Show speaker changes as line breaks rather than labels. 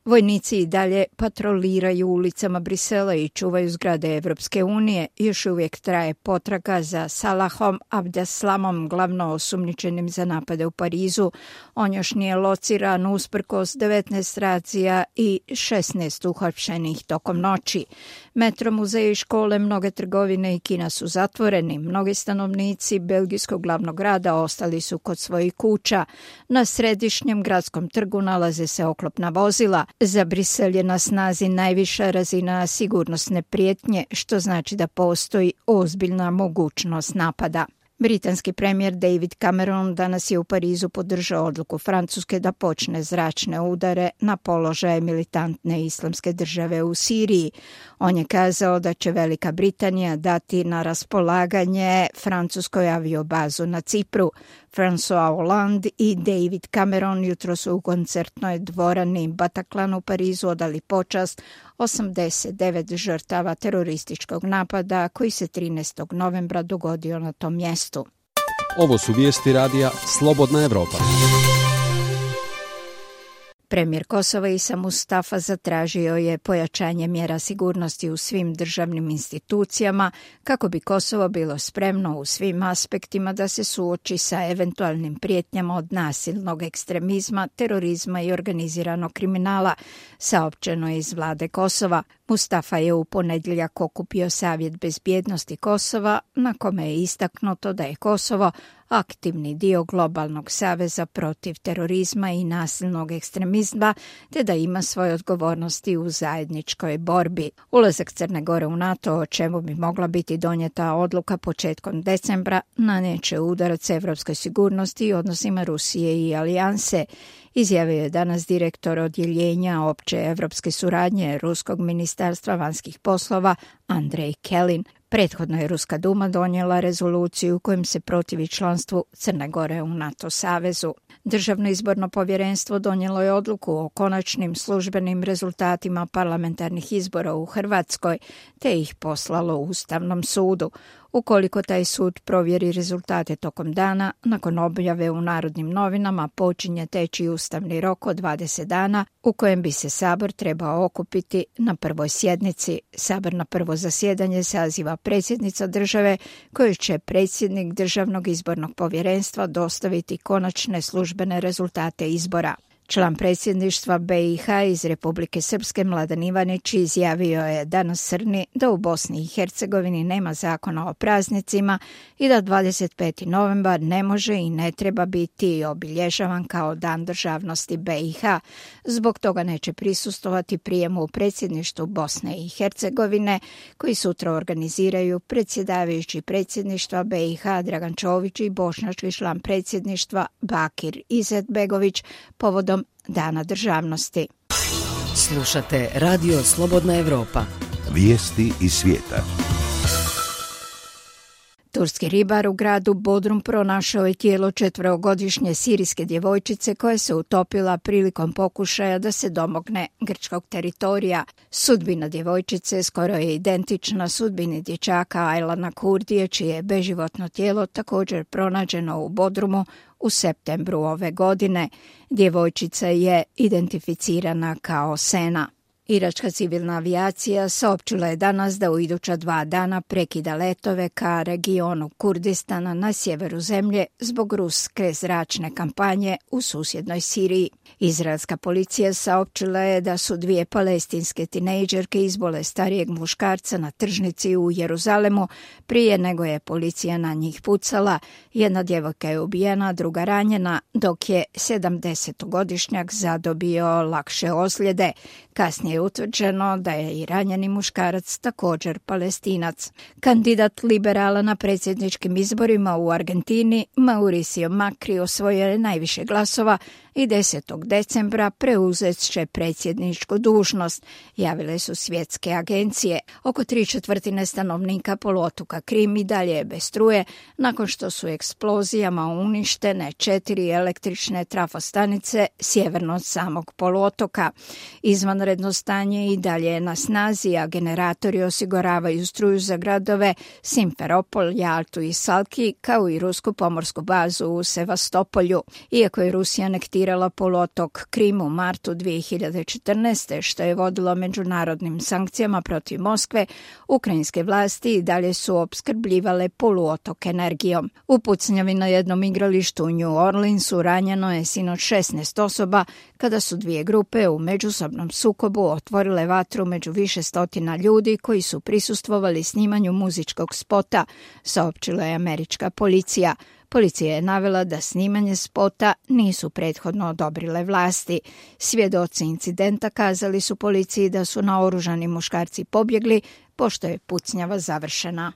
Vojnici i dalje patroliraju ulicama Brisela i čuvaju zgrade Evropske unije. Još uvijek traje potraga za Salahom Abdeslamom, glavno osumnjičenim za napade u Parizu. On još nije lociran usprkos 19 racija i 16 uhapšenih tokom noći. Metro, muzeji i škole, mnoge trgovine i kina su zatvoreni. Mnogi stanovnici belgijskog glavnog grada ostali su kod svojih kuća. Na središnjem gradskom trgu nalaze se oklopna vozila. Za Brisel je na snazi najviša razina sigurnosne prijetnje, što znači da postoji ozbiljna mogućnost napada. Britanski premijer David Cameron danas je u Parizu podržao odluku Francuske da počne zračne udare na položaje militantne islamske države u Siriji. On je kazao da će Velika Britanija dati na raspolaganje francuskoj aviobazu na Cipru. François Hollande i David Cameron jutro su u koncertnoj dvorani Bataclan u Parizu odali počast 89 žrtava terorističkog napada koji se 13. novembra dogodio na tom mjestu.
Ovo su vijesti radija Slobodna Evropa.
Premijer Kosova Isa Mustafa zatražio je pojačanje mjera sigurnosti u svim državnim institucijama kako bi Kosovo bilo spremno u svim aspektima da se suoči sa eventualnim prijetnjama od nasilnog ekstremizma, terorizma i organiziranog kriminala, saopćeno je iz vlade Kosova. Mustafa je u ponedjeljak okupio Savjet bezbjednosti Kosova, na kome je istaknuto da je Kosovo aktivni dio globalnog saveza protiv terorizma i nasilnog ekstremizma, te da ima svoje odgovornosti u zajedničkoj borbi. Ulazak Crne Gore u NATO, o čemu bi mogla biti donijeta odluka početkom decembra, naneće udarac evropskoj sigurnosti i odnosima Rusije i alijanse, izjavio je danas direktor odjeljenja opće evropske suradnje Ruskog ministarstva vanjskih poslova Andrej Kelin. Prethodno je Ruska duma donijela rezoluciju kojom se protivi članstvu Crne Gore u NATO savezu. Državno izborno povjerenstvo donijelo je odluku o konačnim službenim rezultatima parlamentarnih izbora u Hrvatskoj, te ih poslalo Ustavnom sudu. Ukoliko taj sud provjeri rezultate tokom dana, nakon objave u Narodnim novinama počinje teći ustavni rok od 20 dana u kojem bi se Sabor trebao okupiti na prvoj sjednici. Sabor na prvo zasjedanje saziva predsjednica države, koju će predsjednik Državnog izbornog povjerenstva dostaviti konačne službene rezultate izbora. Član predsjedništva BiH iz Republike Srpske Mladen Ivanić izjavio je danas Srni da u Bosni i Hercegovini nema zakona o praznicima i da 25. novembar ne može i ne treba biti obilježavan kao Dan državnosti BiH. Zbog toga neće prisustvovati prijemu u predsjedništvu Bosne i Hercegovine, koji sutra organiziraju predsjedavajući predsjedništva BiH Dragan Čović i bošnjački član predsjedništva Bakir Izetbegović povodom Dana državnosti.
Slušate Radio Slobodna Evropa.
Vijesti iz svijeta.
Turski ribar u gradu Bodrum pronašao je tijelo 4-godišnje sirijske djevojčice koja se utopila prilikom pokušaja da se domogne grčkog teritorija. Sudbina djevojčice skoro je identična sudbini dječaka Aylana Kurdije, čije je beživotno tijelo također pronađeno u Bodrumu u septembru ove godine. Djevojčica je identificirana kao Sena. Iračka civilna avijacija saopćila je danas da u iduća 2 dana prekida letove ka regionu Kurdistana na sjeveru zemlje zbog ruske zračne kampanje u susjednoj Siriji. Izraelska policija saopćila je da su 2 palestinske tinejdžerke izbole starijeg muškarca na tržnici u Jeruzalemu prije nego je policija na njih pucala. Jedna djevojka je ubijena, druga ranjena, dok je 70-godišnjak zadobio lakše ozljede. Kasnije je utvrđeno da je i ranjeni muškarac također Palestinac. Kandidat liberala na predsjedničkim izborima u Argentini, Mauricio Macri, osvojio je najviše glasova i 10. decembra preuzet će predsjedničku dužnost, javile su svjetske agencije. Oko 3/4 stanovnika poluotoka Krim i dalje je bez struje, nakon što su eksplozijama uništene 4 električne trafostanice sjeverno od samog poluotoka. Izvanredno stanje i dalje je na snazi, a generatori osiguravaju struju za gradove Simferopol, Jaltu i Salki, kao i rusku pomorsku bazu u Sevastopolju. Iako je Rusija anektirala okupirala poluotok Krim u martu 2014. što je vodilo međunarodnim sankcijama protiv Moskve, ukrajinske vlasti i dalje su opskrbljivale poluotok energijom. U pucnjavi na jednom igralištu u New Orleansu ranjeno je sinoć 16 osoba kada su dvije grupe u međusobnom sukobu otvorile vatru među više stotina ljudi koji su prisustvovali snimanju muzičkog spota, saopćila je američka policija. Policija je navela da snimanje spota nisu prethodno odobrile vlasti. Svjedoci incidenta kazali su policiji da su naoružani muškarci pobjegli pošto je pucnjava završena.